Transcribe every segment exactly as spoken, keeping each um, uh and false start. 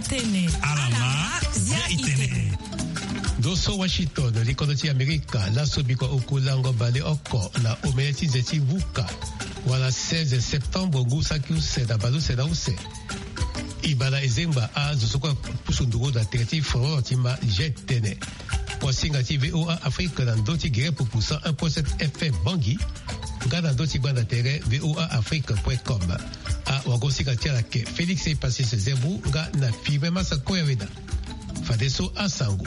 Tene. Alama, zia itene. Ndo so Washington, likondo ti Amerika, laso bikua oku lango baleoko na omene ti nze ti vuka, wala seize septembre ngu saki use na baleuse na use. E baa na ezengba azo so kue apusu nduru na tere ti foro ti ma je tene. Kuasinga ti V O A Afrique na ndö ti gere pupu cent un point sept F M Bangui, nga na ndö ti gbanda tere V O A Afrique point com. Awagosinga ti ala ayeke Félix Epasis Zembu nga na Firmin Massa Koyaweda. Fadeso asango.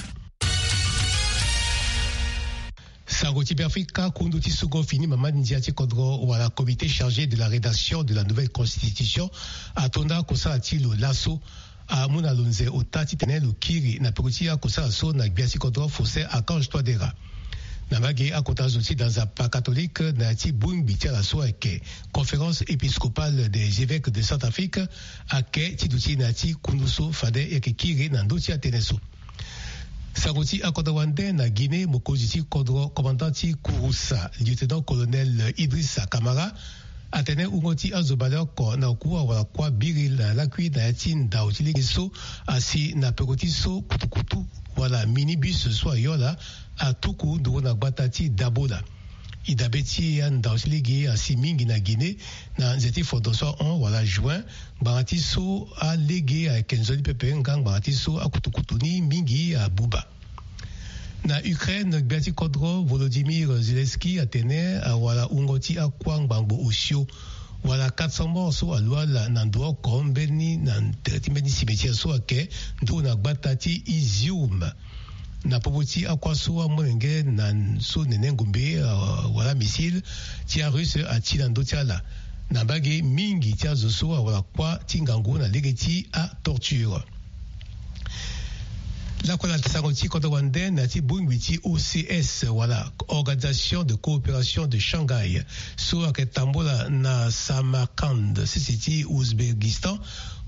Sango ti Beafrika, kundu ti sungo fini mama ndia ti kodro wala comité chargé de la rédaction de la nouvelle constitution atonda kosala ti lo laso amu na lo nze ota titene lo kiri na peko ti akosala so na gbia ti kodro Faustin Archange Touadéra. Na mbage akota zo ti da nzapa catholique na ya ti bongbi ti ala so ayeke Conférence épiscopale des évêques de Centrafrique ayeke ti duti na ya ti kundu so fade e yeke kiri na ndö ti atënë so. Sango ti akodro wande na Guinée, mokonzi ti kodro, commandant ti kurusa, lieutenant-colonel Idrissa Camara, atene wungo ti azo baleoko na oku awara kuâ biri na lakui na ya ti ndau ti lege so asi na peko ti so kutukutu wala minibus so ayola atuku nduru na gbata ti Dabola. E dabe ti andau ti lege asi mingi na Guinée na nze ti fondo so ahon wala juin, ngbanga ti so alege ayeke nzoni pepe nga ngbanga ti so akutukutu ni mingi abuba. Na Ukraine, gbia ti kodro Volodymyr Zelensky atene awara wungo ti akuâ ngbangbo osio wala quatre cents morts so alu ala na ndo oko mbeni na tere ti mbeni cimetière so ayeke nduru na gbata ti Izium. Na popo ti akuâ so amolenge na so nene ngombe, euh, wala missile ti arusse ati na ndö ti ala. Na mbage mingi ti azo so awara kuâ ti ngangu na lege ti atorture. Lakue na sango ti kodro wande na ya ti bongbi ti O C S wala Organisation de Coopération de Shanghai so ayeke tambula na Samarkand, sese ti Ouzbékistan,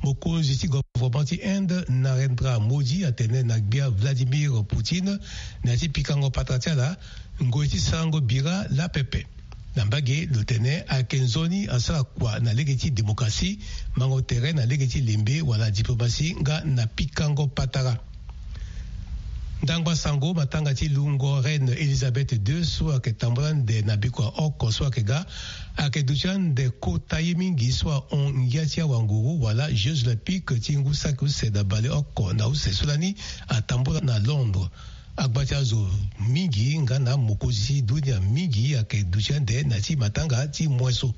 mokonzi ti gouvernement ti Inde Narendra Modi atene na gbia Vladimir Poutine na ya ti pikango patara ti ala ngoi ti sarango bira lapepe. Na mbage lo tene ayeke nzoni asara kua na lege ti démocratie, mango tere na lege ti lembe wala diplomatie nga na pikango patara. Ndangba sango, matanga ti lungo Reine Elisabeth deux so ayeke tambula ande na bikua oko so ayeke ga ayeke duti ande kota ye mingi so ahon ngia ti awanguru wala Jeux Olympiques ti ngu saki use na baleoko na use so lani atambula na Londres. Agba ti azo mingi nga na mokonzi ti dunia mingi ayeke duti ande na ya ti matanga ti moin so.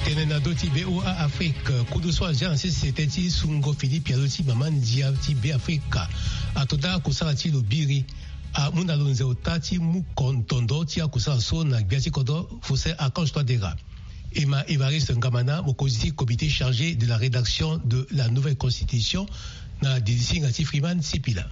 Tene na ndö ti V O A Afrique, kudu so azia na sese tënë ti sungo fini pialo ti mama ndia ti Beafrika atonda kosala ti lo biri. Amu na lo nze ota ti mu kontondo ti akosala so na gbia ti kodro Faustin Archange Touadéra. E ma Évariste Ngamana, mokonzi ti comité chargé de la rédaction de la nouvelle constitution, na dirisinga ti Freeman Sipila.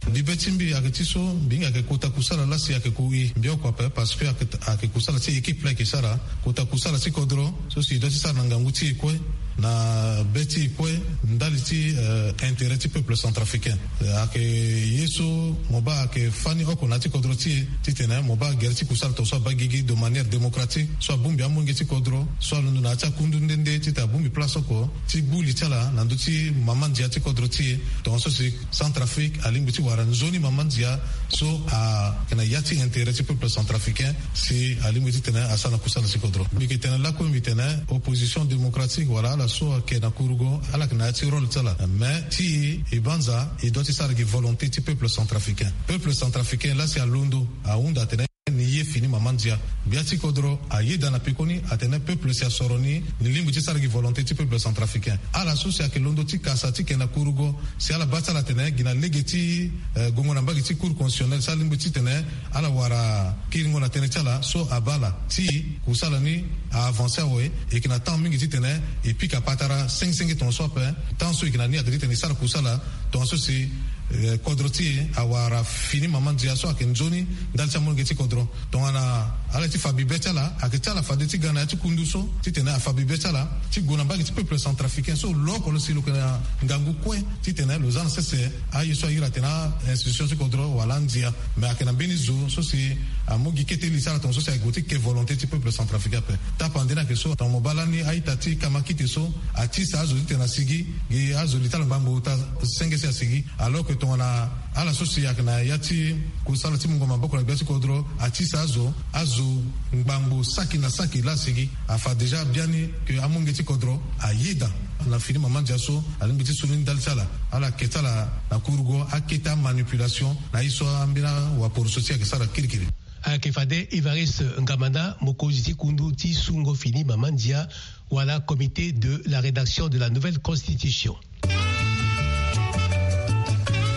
Mbi be ti mbi ayeke ti so mbi hinga ayeke kota kusala lasi ayeke ku i mbi oko ape, parce que ayeke, ayeke kusala ti équipe la ayeke sara. Kota kusala ti kodro so si e doit ti sara na ngangu ti e kue, na be ti e kue, ndali ti, euh, intérêt ti peuple centrafricain. Euh, ayeke ye so mo baa ayeke fani oko na ya ti kodro ti e titene mo baa gere ti kusala tongaso abaa gigi de manière démocratique, so abongbi amolenge ti kodro, so alondo na ya ti akundu nde nde titene abongbi place oko ti gbu li ti ala na ndö ti mama ndia ti kodro ti e. Tongaso si Centrafrique alingbi ti wara nzoni mama ndia so ayeke na ya ti intérêt ti peuple centrafricain, si alingbi titene asara na kusala ti kodro. Mbi yeke tene lakue mbi tene opposition démocratique wala ala so ayeke na kurugo, ala yeke na ya ti rôle ti ala. Mais ti e, e banza, e doit ti sara gi volonté ti peuple centrafricain. Peuple centrafricain lasi alondo, ahunda atene ni ye fini mama ndia. Gbia ti kodro ayeda na pekoni atene peuple si asoro ni, ni lingbi ti sara gi volonté ti peuple centrafricain. Ala so si ayeke londo ti kasa ti yeke na kurugo, si ala baa ti ala atene gi na lege ti, eh, gongo na mbage ti Cour constitutionnelle, si alingbi titene ala wara kiringo na tënë ti ala so abaa ala. Ti kusala ni a-avancer awe, e yeke na temps mingi titene e pika patara senge senge tongaso ape. Temps so e yeke na ni ayeke titene e sara kusala tongaso si eh, kodro ti e awara fini mama ndia so ayeke nzoni ndali ti amolenge ti kodro. Tongana ala ti fa bibe ti ala ayeke ti ala fade ti ga na ya ti kundu so titene afa bibe ti ala ti gue na mbage ti peuple centrafricain so lo oko lo si lo yeke na ngangu kue titene lo za na sese aye so airi atene a-institution ti kodro wala andia. Me ayeke na mbeni zo so si amu gi kete li ti ala tongaso si ayeke gue ti ke volonté ti peuple centrafricain ape. Tapande ni ayeke so tongana mo baa lani a-ita ti kamakite so atisa azo titene asigi gi azo li ti ala ngbangbo ota senge si asigi. Alors que tongana ala so si ayeke na ya ti kusala ti mungo maboko na gbia ti kodro atisa azo azo ngbangbo saki na saki laa asigi. Afa déjà biani ke amolenge ti kodro ayeda na fini mama ndia so alingbi ti su ni ndali ti ala. Ala yeke ti ala na kurugo akete amanipulation na ye so ambeni awaporoso ti e ayeke sara kirikiri. Ayeke fade Évariste Ngamanda, mokonzi ti kundu ti sungo fini mama ndia wala comité de la rédaction de la nouvelle constitution. E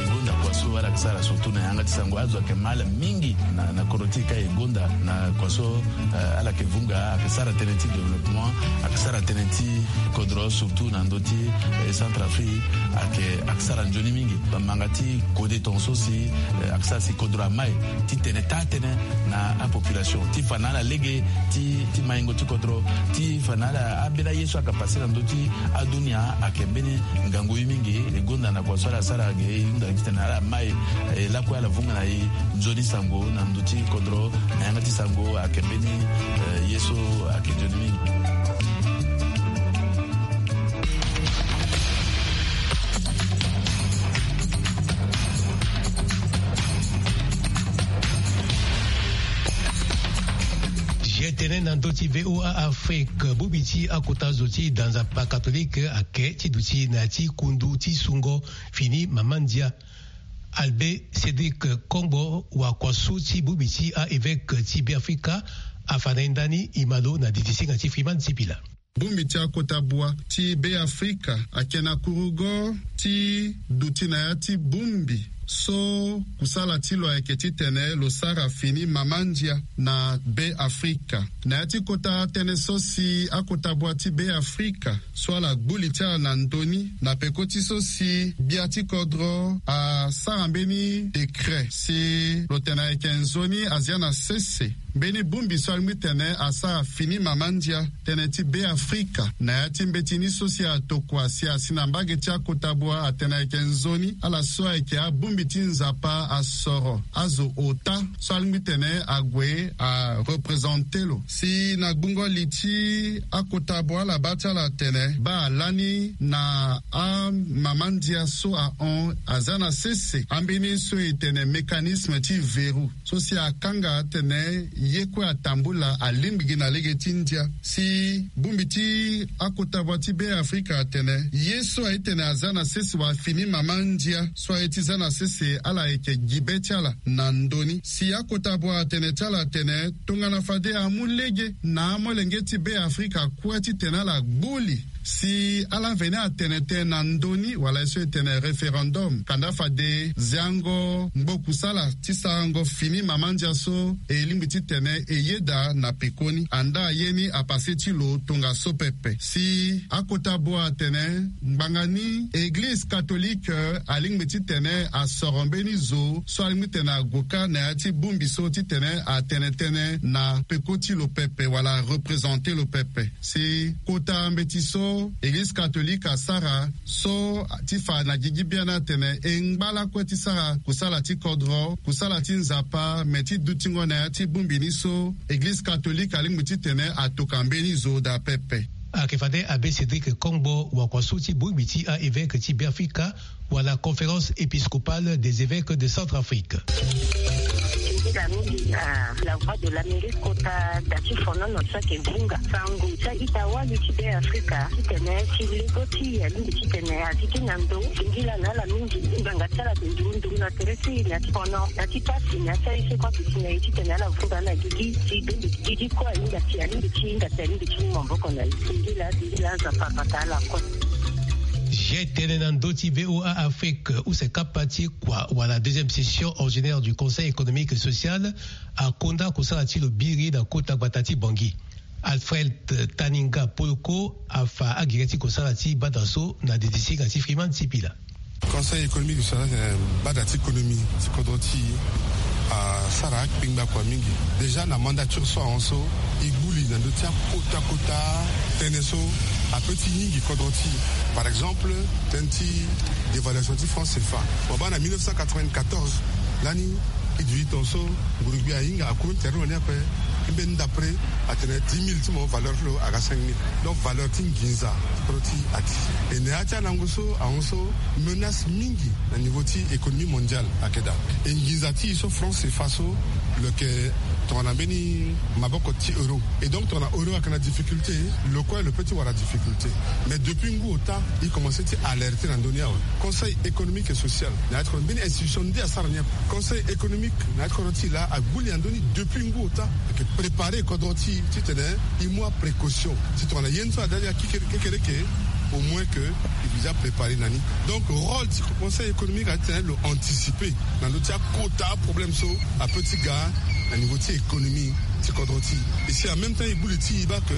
gonda kua so ala yeke sara surtout na yanga ti sango azo ayeke ma ala mingi na, na kodro ti e ka e gonda na kua so, eh, ala yeke vunga ayeke sara tënë ti développement, ayeke sara tënë ti kodro surtout na ndö ti, eh, Centrafrique ayeke, ayeke sara nzoni mingi. Bamanga ti kode tongaso si, eh, ayeke sara si kodro amai ti tene taa tënë na apopulation ti fa na ala lege ti, ti maingo ti kodro ti fa na ala ambeni aye so ayeke pase na ndö ti adunia ayeke mbeni ngangu ye mingi. E gonda na kua so ala sara ge e hunda titene ala mai, eh, lakue ala vunga na e nzoni sango na ndö ti kodro na yanga ti sango ayeke mbeni, eh, ye so ayeke nzoni mingi. Ye tene na ndö ti V O A Afrique, bongbi ti akota zo ti da nzapa katolike ayeke ti duti na ya ti kundu ti sungo fini mama ndia. Albert Cédric Kongbo, wakuasu ti bongbi ti a-évêque ti Beafrika, afa na e ndani e ma lo na didi singa ti Freeman Sipila. Bongbi ti akota bua ti Beafrika ayeke na kurugo ti duti na ya ti bongbi so kusala ti lo ayeke titene lo sara fini mama ndia na Beafrika. Na ya ti kota tënë so si akota bua ti Beafrika so ala gbu li ti ala na ndö ni na peko ti so si gbia ti kodro asara mbeni décret si lo tene ayeke nzoni azia na sese mbeni bongbi so alingbi tene asara fini mama ndia tënë ti Beafrika na ya ti mbeti ni so si atokua si asi na mbage ti akota bua atene ayeke nzoni ala so ayeke abongbi ti Nzapa asoro azo ota so alingbi tene ague arepresente lo. Si na gbungo li ti akota bua ala baa ti ala atene baa lani na amama ndia so ahon aza na sese ambeni so e tene mécanisme ti verrou so si akanga atene ye kue atambula alingbi gi na lege ti ndia. Si bongbi ti akota bua ti Beafrika atene ye so aye tene aza na sese wala fini mama ndia so aye ti za na sese ala yeke gi be ti ala na ndö ni. Si akota bua atene ti ala atene tongana fade amu lege na amolenge ti Beafrika kue titene ala gbu li si ala veni atene tënë na ndö ni wala ye so e tene référendum. Kanda fade ziango ngbo kusala ti sarango fini mama ndia so e lingbi titene e yeda na pekoni. Andaa ye ni apase ti lo tongaso pepe. Si akota bua atene ngbanga ni Eglize katolike alingbi titene asoro mbeni zo so alingbi titene ague kâ na ya ti bongbi so titene atene tënë na peko ti lo pepe wala represente lo pepe. Si kota mbeti so Eglize katolike asara so ti fa na gigi biani atene e ngba lakue ti sara kusala ti kodro, kusala ti Nzapa, me ti dutingo na ya ti bongbi ni so Eglize katolike alingbi titene atoka mbeni zo daa pepe. Ayeke fade Abbé Cédric Kongbo, wakuasu ti bongbi ti a-évêque ti Beafrika, wala Conférence épiscopale des évêques de Centrafrique. Tongana mingi na La Voix de l'Amérique kota da ti fonono so ayeke vunga sango ti a-ita wali ti Beafrika titene ti lego ti e alingbi titene azi ti na ndo. Singila na ala mingi ngbanga ti ala ayeke nduru nduru na tere ti e na ya ti fono na ya ti pasi na ya ti aye so kue aduti na e titene ala vunga na gigi ti bongbi gigi kue ahinga ti e alingbi ti hinga ti e alingbi ti mu maboko na e. Singila singila Nzapa abata ala kue. Ye tënë na ndö ti V O A Afrique, use kapa ti kua wala deuxième session ordinaire du Conseil économique et social akonda kosala ti lo biri na kota gbata ti Bangui. Alfred Taninga Poloko afa agere ti kosala ti bata so na didi singa ti Freeman Sipila. Conseil économique sur la bada ti économie ti kodro ti asara akpengba kua mingi. Déjà na mandature so ahon so, e gbu li na ndö ti akota kota tënë so ape ti hingi kodro ti, par exemple, tënë ti dévaluation ti France cfa. Mo baa na mille neuf cent quatre-vingt-quatorze, lani e duti tonga so nguru gbia ahinga akuru ni tere lo ni ape. Mbeni ndapre atene dix mille ti mo, valeur ti lo aga cinq mille. Donc valeur ti nginza ti kodro ti ati. E na ya ti alango so ahon so, menace mingi na niveau ti économie mondiale ayeke daa. E nginza ti e so France cfa so lo yeke tongana mbeni maboko ti euro. Et donc tongana euro ayeke na difficulté, lo kue lo peut ti wara difficulté. Mais depuis ngu ota, e commencé ti alerter na ndö ni awe. Conseil économique et social na ya ti kodro, mbeni institution nde asara ni ape. Conseil économique na ya ti kodro ti e laa agbu li na ndö ni depuis ngu ota. Ayeke préparer kodro ti e titene e mu aprécaution. Si tongana ye ni so ada ti ga kekereke, au moins que e déjà préparer na ni. Donc rôle ti conseil économique aye titene lo anticiper na ndö ti akota aproblème so apeut ti ga na niveau ti économie ti kodro ti e. Et si en même temps e gbu li ti e baa que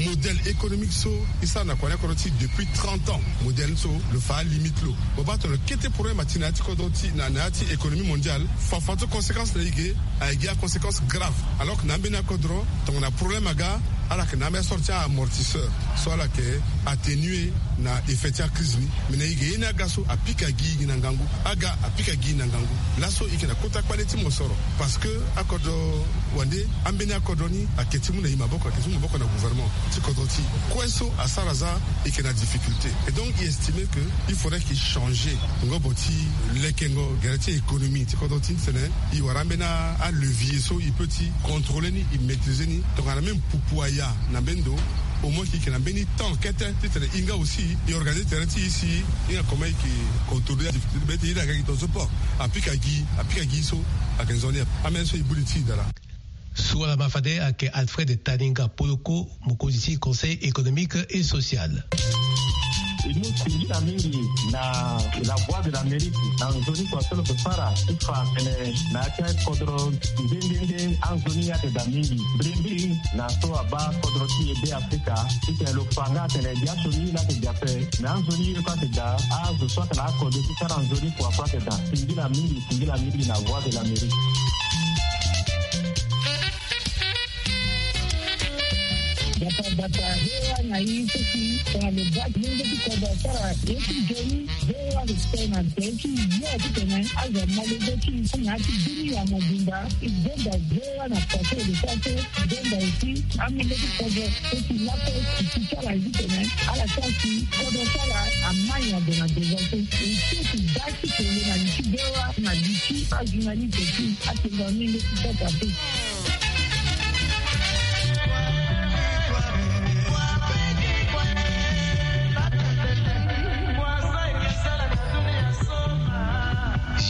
modèle économique so e sara na kua ni akodro ti e depuis trente ans, modèle ni so lo fa alimite lo. Mo baa tongana kete problème ati na ya ti kodro ti e, na ya ti économie mondiale, fafa ti conséquence na e ge, aye gi aconséquence grave. Alors que na ambeni akodro, tongana problème aga, ala yeke na ambeni asorte ti amortisseur so ala yeke atténuer na effet ti acrise ni. Mais na e ge, ye ni aga so apika gi e na ngangu. Aga apika gi e na ngangu. Laso e yeke na kota kpale ti mosoro. Parce que akodro wande, ambeni akodro ni ayeke ti mu na e maboko, ayeke ti mu maboko na gouvernement ti kodro ti e. Kue so asara za, e yeke na difficulté. Et donc e estimer que il faudrait qu'il change ngobo ti lekengo gere ti économie ti kodro ti e, titene e wara ambeni alevier so e peut ti contrôler ni, e maîtriser ni. Tongana même pupu aya na mbeni ndo, au moins que e yeke na mbeni temps kete titene e nga aussi e organiser terrain ti e si e hinga comment e yeke contrôler adifficulté. Be ti e hinga gi tongaso port apika gi, apika gi so ayeke nzoni ape. Ambeni so e gbu li ti e daa laa. So wala ma fade ayeke Alfred Taninga Poloko, mokonzi ti Conseil économique et social. E mu singila mingi na La Voix de l'Amérique na nzoni kua so lo yeke sara ti fa atene na ya ti akodro nde nde nde anzoni ayeke daa mingi. Mbrimbri na so abaa kodro ti e Be Afrika, titene lo fa nga atene biaso ni laa ayeke daa ape, me anzoni ye kue ayeke daa. Azo so ayeke na akode ti sara nzoni kua kue ayeke daa. Singila mingi, singila mingi na Voix de l'Amérique. Bata bata, hewa na i so si tongana lo baa ti lenge ti kodro asara ye ti nzoni. Hewa respect na nze ti yo titene azo amolenge ti i na ya ti bini ya mobimba. I zonza hewa na kua so e lo sara so. I zonza aussi amolenge ti kodro so si lako e ti sara ye titene ala sara si kodro ti ala amai ado na devant so. E so ti baa ti kele na li ti hewa na li ti ajournaliste ti atengo amolenge ti kodro ape.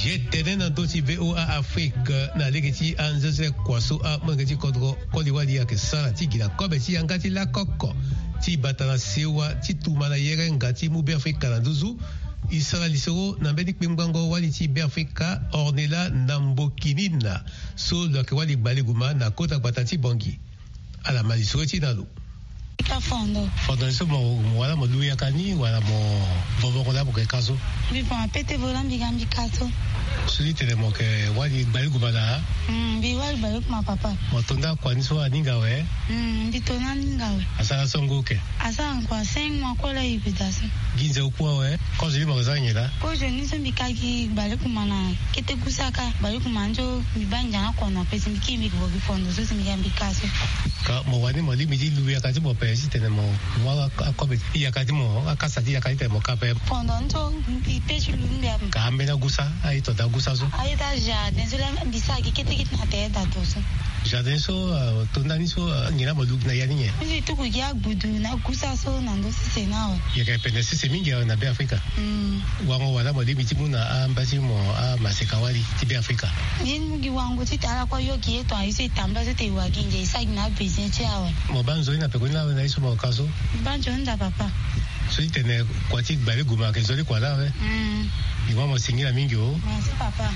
Ye tene na ndö ti V O A Afrique na lege ti anzezele kua so amolenge ti kodro koli-wali ayeke sara ti gi na kobe ti yanga ti lako oko ti bata na sewa ti tuma na yerenga ti mu Beafrika na nduzu. E sara lisoro na mbeni kpengbango wali ti Beafrika, Ornella Nambokinina, so lo yeke wali gbaleguma na kota gbata ti Bangui. Ala ma lisoro ti na lo. Ka fondo. Fondo ni so mo, mo wala mo lu yaka ni wala mo vovoko laa mo ke ka so? Mbi voma pete vo laa mbi ga mbi ka so. So ti tene mo ke wali gbaleguma na? Mm, mbi wali gbaleguma papa. Mo to nda kua ni so aninga awe? Mm, mbi to nda aninga awe. Asara so ngu oke? Asara ngu a cinq mois kue laa e bi daa so. Gi nze oku awe? Kozo ni mo ke za nyen laa? Kozo ni so mbi ka gi gbaleguma na kete gusa ka, gbaleguma ni so mbi baa ngia na kono ape si mbi kiri mbi ke vo gi fondo so si mbi ga mbi ka so. Ka mo wani mo lingbi ti lu yaka ti mo ape titene mo mu akobe ti yaka ti mo, akasa ti yaka titene mo ka ape? Fondo ni so mbi pe ti lu ni mbi ape. Ka ambeni agusa, aye to daa gusa so? Aye daa jardin so laa mbi sara gi kete kete na tere daa to so. Jardin so, ah, to nda ni so, ah, nyen laa mo lu gi na ya ni nyen? Mbi tuku gi agbudu na gusa so na ndö sese ni awe. Yeke pene sese mingi awe na Beafrika. Mm. Wango wala mo lingbi ti mu na amba ti mo amaseka wali ti Beafrika? Mbi mu gi wango titene ala kue ayo gi ye tongana ye so e tambula so tene e wa gi ngia e sara gi na abesoin ti e awe. Mo baa nzoni na pekoni laa awe na ye so mo ka so? Mbi baa nzoni daa papa. So ti tene kua ti gbaleguma ayeke nzoni kua laa awe? Mm. Mbi ma mo singila mingi o. Merci papa.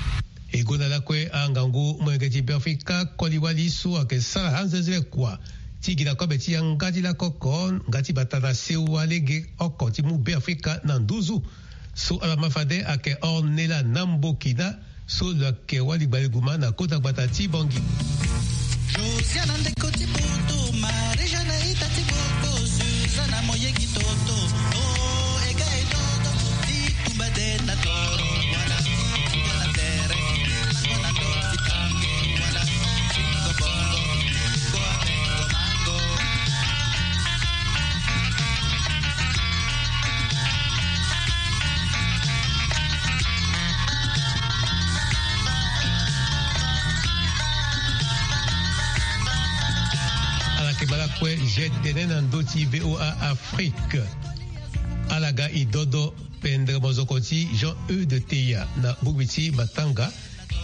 E gonda lakue angangu molenge ti Beafrika koli-wali so ayeke sara anzezele kua ti gi na kobe ti yanga ti lako oko nga ti bata na sewa lege oko ti mu Beafrika na nduzu. So ala ma fade ayeke Ornella Nambokina, so lo yeke wali gbali guma na kota gbata ti Bangui. Josiana ndeko ti poto, Marie-Jeanne ita ti poto, Suzana moyeki toto, o ega e toto, ti tumba de na toro, wala, wala tere, wala toto. Ala yeke bala kue je tene na ndö ti V O A Afrique. Ala ga e dodo pendere mozoko ti Jean Eudes Teya na bongbi ti matanga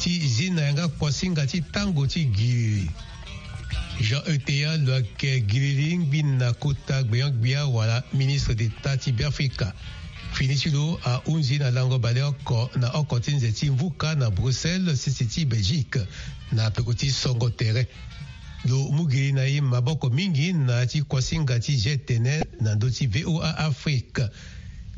ti zi na yanga kuasinga ti tango ti giriri. Jean Eudes Teya lo yeke giriri ngbi na kota gbenyo-gbia wala ministre d'État ti Beafrika. Fini ti lo ahunzi na lango baleoko na oko ti nze ti mvuka na Bruxelles, sese ti Belgique, na peko ti songo tere. Lo mu giri na e maboko mingi na ya ti kuasinga ti je tene na ndö ti V O A Afrique.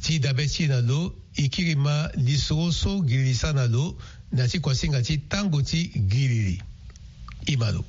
Ti dabe ti e na lo, e kiri ma lisoro so giri li sara na lo na ya ti kuasinga ti tango ti giriri. E ma lo.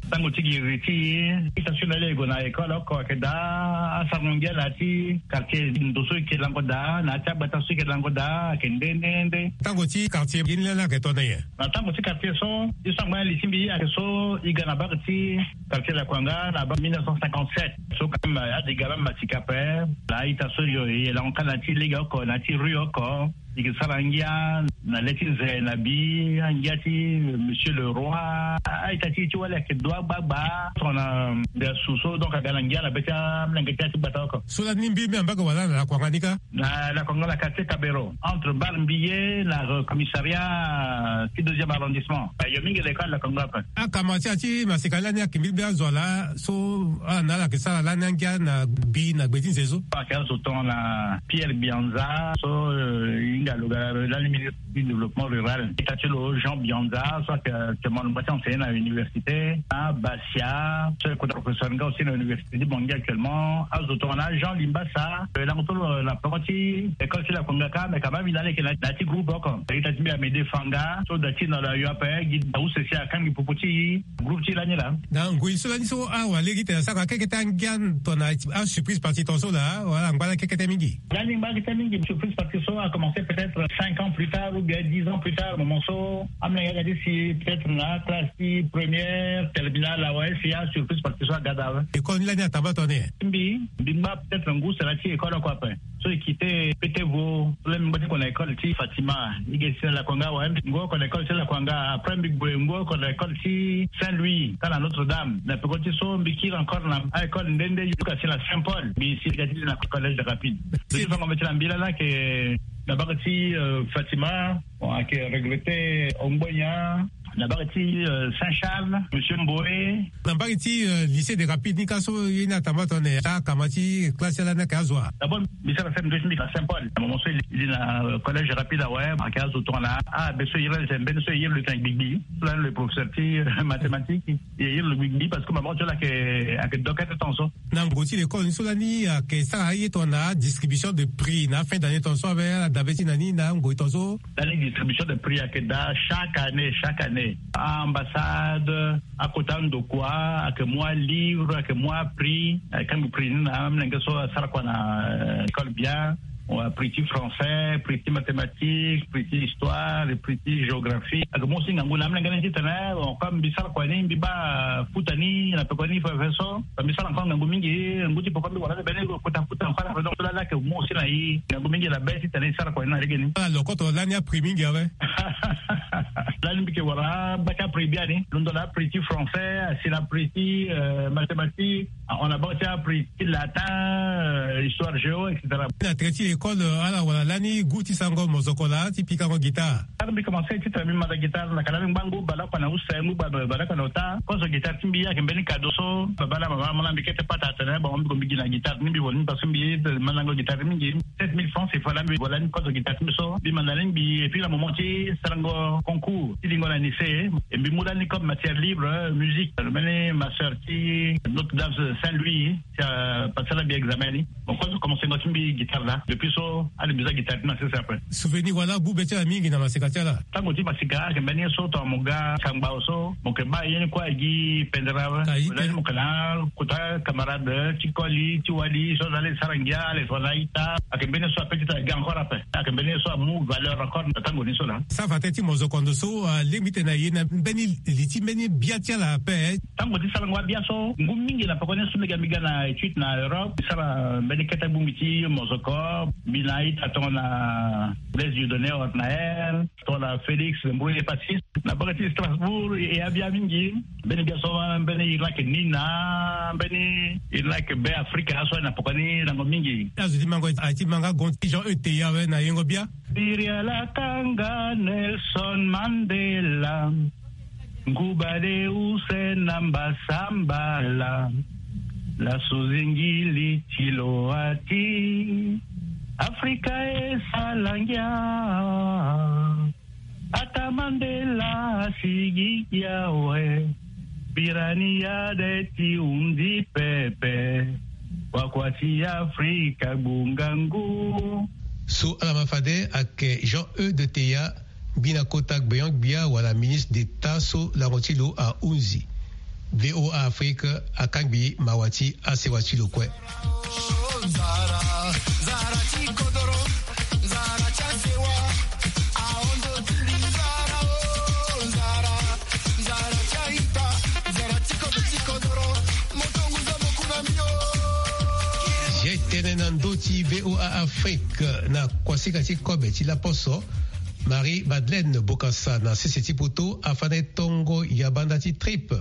Tango ti giriri ti e, ita so na le e gue na école oko ayeke daa, asarango ngia na ya ti quartier ndo so e ke lango daa, na ya ti agbata so e ke lango daa, ayeke nde nde nde. Tango ti quartier gi ni lani ayeke tongana nyen? Na tango ti quartier so, e so angba na li ti mbi ayeke so e ga na bak ti quartier Lakuanga na bak mille neuf cent cinquante-sept. So quand même, ade ga même masika ape. Na a-ita so e lango kâ na ya ti lege oko, na ya ti rue oko. E ke sara ngia na le ti nze na bi, angia ti Monsieur le Roi. A-ita ti e ti wali ayeke dua gbagba. Tongana ndia su so, donc aga na ngia na be ti amolenge ti ya ti gbata oko. So lani mbi mbi ambage wala na Lakuanga ni kâ? Na Lakuanga na quartier Kabero, entre Bar Mbiye na, euh, commissariat ti deuxième arrondissement. Yo mingi l'école Lakuanga ape. Akama ti ya ti masika lani ayeke mbi mbi azo ala so ala na ala yeke sara lani angia na bi na gbe ti nze so. Ayeke azo tongana Pierre Bianza so, euh, e hinga lo ga lani ministre ti développement rural. Ita ti lo Jean Bianza so ayeke actuellement lo ngba ti enseigner na université. Na Basia so ayeke kota professeur nga aussi na université ti Bangui actuellement. Azo tongana Jean Limbasa, euh, lango ti lo na peko ti école ti Lakuanga kâ, mais quand même e na ala yeke na ya ti groupe oko. Ita ti mbi Amédée Fanga so da ti na lo ayo ape, gi na use si akangbi popo ti groupe ti lani laa. Na ngoi so lani so awara lege tene asara kekete angia tongana asurprise partie ton so laa, wala angba la kekete mingi? Lani ngba kete mingi. Surprise partie so a commencé peut-être cinq ans plus tard ou bien dix ans plus tard, moment so amolenge aga ti si peut-être na classe ti première, terminale awe, si asurprise partie so aga daa awe. École ni lani atamba tongana nyen? Mbi, mbi ngba peut-être ngu sara ti école oko ape. So e quitté Pétévo, so lani mbi ngba ti gue na école ti Fatima, e ge si na Lakuanga awe. Mbi ngba oko na école ti Lakuanga, après mbi gue ngu oko na école ti Saint-Louis, kâ na Notre-Dame. Na peko ti so mbi kiri encore na a-école nde nde, jusqu'à si na Saint-Paul. Mbi si ga ti na collège de Rapide. Mbi ti fango mbi ti na mbi lani ayeke na bak ti, euh, Fatima, bon, ayeke regretté Ongbonia. Na mbage ti, euh, Saint-Charles, Monsieur Mboé. Na mbage ti, euh, lycée de Rapides ni ka so ye ni atamba tongana nyen? Akama ti classe ti ala ni ayeke azo wa? D'abord, mbi sara sere ndö ti mbi na Saint-Paul. Na moment so e li na, euh, collège Rapides awe, ayeke azo tongana abe so e iri ala tene mbeni so e iri lo tene gbigbi. So lani lo professeur ti, euh, mathématique. E iri lo gbigbi parce que mama ti lo ayeke, ayeke dokete ton so. Na ngoi ti l'école ni so lani ayeke sara aye tongana distribution de prix na fin d'année ton so awe, ala dabe ti na ni na ngoi ton so. Lani distribution de prix ayeke daa chaque année, chaque année. A-ambassade, akota andokua, ayeke mu alivre, ayeke mu aprix, ayeke kangbi prix ni na amolenge so asara kua na, euh, école bien. Wa, prix ti français, prix ti mathématique, prix ti histoire, prix ti géographie. Ayeke mu aussi ngangu na amolenge ni titene, bon, comme mbi sara kua ni, mbi baa futa ni na peko ni fefe so. Mbi sara encore ngangu mingi, ngu ti poko mbi wara ti bene kota futa encore na donc so lani ayeke mu aussi na e ngangu mingi na be titene e sara kua ni na lege ni. Ala lokoto lani aprix mingi awe. Lani mbi yeke wara baa ti aprix biani. Londo na aprix ti français, asi na aprix ti, euh, mathématique, on a baa ti aprix ti latin, euh, histoire géo, et cetera. Na tere ti école, euh, ala wara lani gu ti sarango mozoko laa ti pikango guitare. Tara mbi commencé titene mbi manda guitare, na ka lani mbi ngba ngu baleoko na use, ngu ba-, baleoko na ota. Kozo guitare ti mbi ayeke mbeni cadeau so baba na mama amolenge mbi kete pata atene, bon, mbi gue mbi gi na guitare ni, mbi vo ni parce que mbi mandango guitare mingi. Sept mille francs, c'est voilà, mbi vo lani kozo guitare ti mbi so mbi manda ni mbi. Et puis na moment ti sarango concours ti lingo na lycée. E mbi mu lani comme matière libre, musique, lo mbeni master ti Notre Dame Saint Louis, ti apasala mbi examen ni. Mo kue so commencé ngo ti mbi guitare laa. Depuis so ade mbi za guitare ti na sese après. Souvenir wala abu be ti ala mingi na masika ti ala? Tango ti masika ayeke mbeni ye so tongana mo ga sangba so mo yeke baa ye ni kue agi pendere awe. Mo yeke na akota camarade ti koli ti wali so aza le sara ngia ale so aza ita. Ayeke mbeni ye so ape ti tara gi encore ape. Ayeke mbeni ye so amu valeur encore na tango ni so laa. Safate ti mozoko ndo so alingbi tene na ye na mbeni li ti mbeni bia ti ala ape. Tango ti sarango abia so ngu mingi na pekoni so mbi ga mbi ga na étude na Europe, mbi sara mbeni kete bongbi ti mozoko. Mbi na ita tongana Blaise Dieudonné Ornael, tongana Félix Mboye Passis na baka ti Strasbourg. E abia mingi. Mbeni bia so mbeni iri lake Nina, mbeni iri lake Be Afrika aso na pekoni lango mingi. Azo ti mango ati manga gon ti Jean E T A we na yengo bia. Biriala kanga Nelson Mandela, nguba de use na mbasambala, la suzingili ti lo ati Afrika e sala ngia. Ata Mandela asigi awe, birani ya de ti hundi pepe, wakua ti Afrika gbungangu. So ala ma fade ayeke Jean E de Teya, mbi na kota gbeon-gbia wala ministre d'État so lango ti lo ahunzi. V O A Afrique akangbi mawa ti asewa ti lo kue. Ye tene na ndö ti V O A Afrique na kuasika ti kobe ti laposo. Marie Madeleine Bokassa na sese ti poto afande tongo yabanda ti tripe.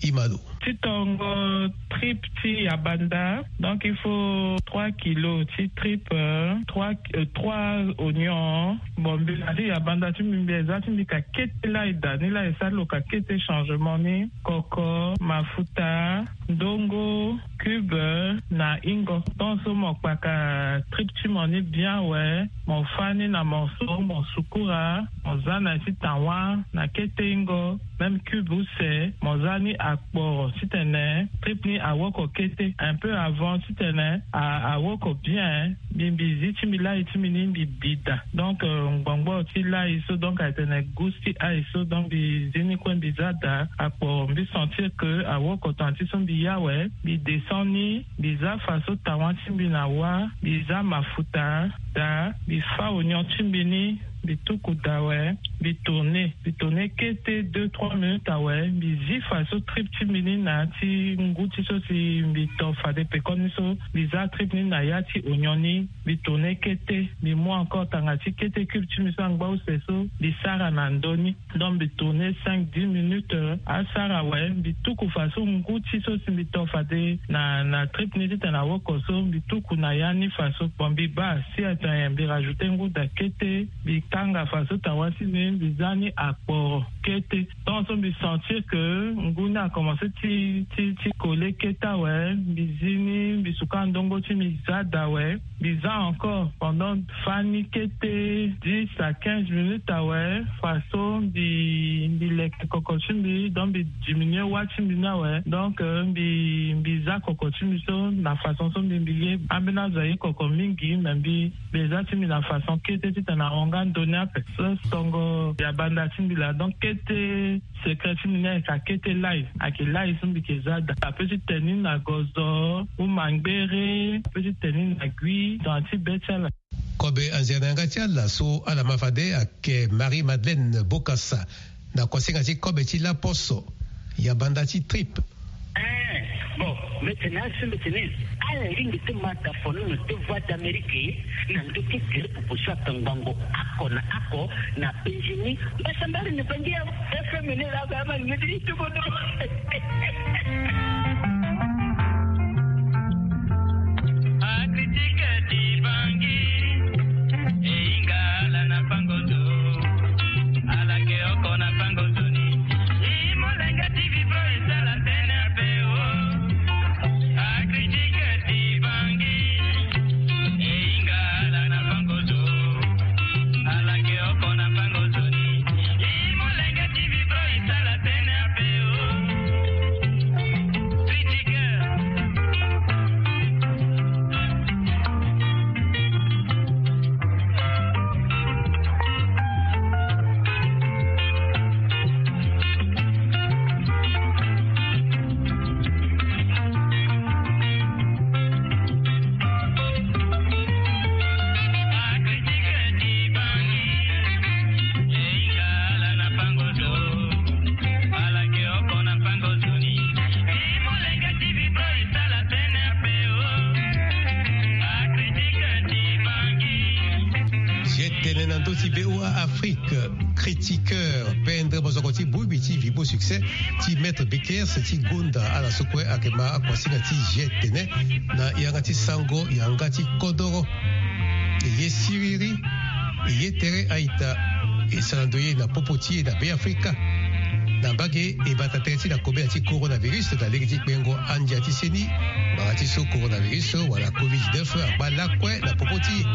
Imalo. Ti tongo tripe ti yabanda, donc il faut trois kilos ti tripe, euh, trois, euh, trois oignons. Bon, mbi na ti yabanda ti mbi, mbi eza ti mbi ka kete lai da ni lai, esali lo ka kete changement ni. Koko, mafuta, ndongo, cube na ingo. Tant so mo kpaka tripe ti mo ni bien awe, mo fa ni na morceau, mo sukura, mo za na ya ti tawa na kete ingo, même cube use, mo za ni akporo titene tripe ni awoko kete. Un peu avant titene a, awoko bien, mbi, mbi zi ti mbi lai ti mbi ni mbi bi da. Donc, euh, ngbongboro ti lai so, donc, atene gus ti ai so, donc, mbi zi ni kue mbi za da akporo, mbi sentir que awoko tongana ti so mbi ya awe, mbi descend ni, mbi za faso tawa ti mbi na wa, mbi za mafuta da, mbi fa oignon ti mbi ni, mbi tuku da awe, mbi tourner, mbi tourner kete deux, trois minutes awe, mbi zi faso tripe ti mbi ni na ya ti ngu ti so si mbi to fade pekoni so, mbi za tripe ni na ya ti oignon ni, mbi tourner kete, mbi mu encore tanga ti kete cube ti mbi so angba use so, mbi sara na ndö ni. Donc mbi tourner cinq, dix minutes, euh, asara awe, mbi tuku faso ngu ti so si mbi to fade na, na tripe ni titene awoko so, mbi tuku na ya ni faso. Bon, mbi baa si atene mbi rajouter ngu da kete, mbi kanga faso tawa ti mbi, mbi za ni akporo kete. Tant so mbi sentir que ngu ni akomencer ti, ti, ti coller kete awe, mbi zi ni, mbi suka ndongo ti mbi za da awe. Mbi za encore pendant fani kete dix à quinze minutes awe, faso mbi, mbi leke koko ti mbi, donc mbi diminuer wa ti mbi ni awe. Donc, euh, mbi, mbi za koko ti mbi so na façon so mbi, mbi ye ambeni azo aye koko mingi, mais mbi, mbi za ti mbi na façon kete titene ahon nga ndoni ape. So tongo ya banda ti mbi laa, donc kete secret ti mbi ni ayeke akete lai, ayeke lai so mbi yeke za daa. Ape ti tene ni na gozo, ou mangbere, ape ti tene ni na gui, tongana ti be ti ala. Kobe anzere na yanga ti ala so ala ma fade ayeke Marie Madeleine Bokassa na kosinga ti kobe ti laposo ya banda ti tripe. Eh, bon, mbi tene asi mbi tene ala lingbi ti ma da fono na deux voix d'Amérique na ndö ti gere popo so atongbango oko na oko na penzi ni. Mbasambari ni bangi ya F M ni la ba ma ni ti tubono. Akritika ti bangi, e hinga ala na pango zo, ala ke oko na pango zo ni. I molenge ti vivre e sala tene ape o. Akritika ti bangi, e hinga ala na pango zo, ala ke oko na pango zo ni. Tene na ndö ti B O A Afrique, critiqueur, pendre mozoko ti bongbi ti Vibo Succès ti Maître Bekers ti gonda ala so kue ayeke ma akuasinga ti G tene na yanga ti sango yanga ti kodoro. E ye siriri, e ye tere a-ita, e sara ndoye na popo ti e na Beafrika. Na mbage e bata tere ti na kobela ti coronavirus na lege ti kpengo andia ti seni, ngbanga ti so coronavirus wala covid dix-neuf agba lakue na popo ti e.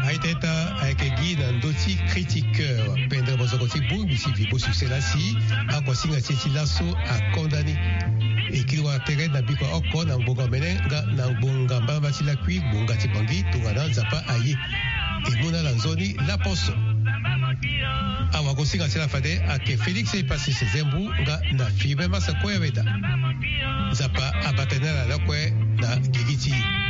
Aita eta ayeke gi na ndö ti critiqueur, pendre mozoko ti bongbi ti Vibo Succès la si akuasinga ti e ti laso akonda ni. E kiri wara tere na bikua oko na ngbonga omene nga na ngbonga mbalambala ti lakui, ngbonga ti Bangui, tongana Nzapa aye. E mu na ala nzoni laposo. Awagosinga ti ala fade ayeke Félix Epasis Zembu nga na Firmin Massa Koyaweda. Nzapa abata ni na ala lakue na gigi ti e.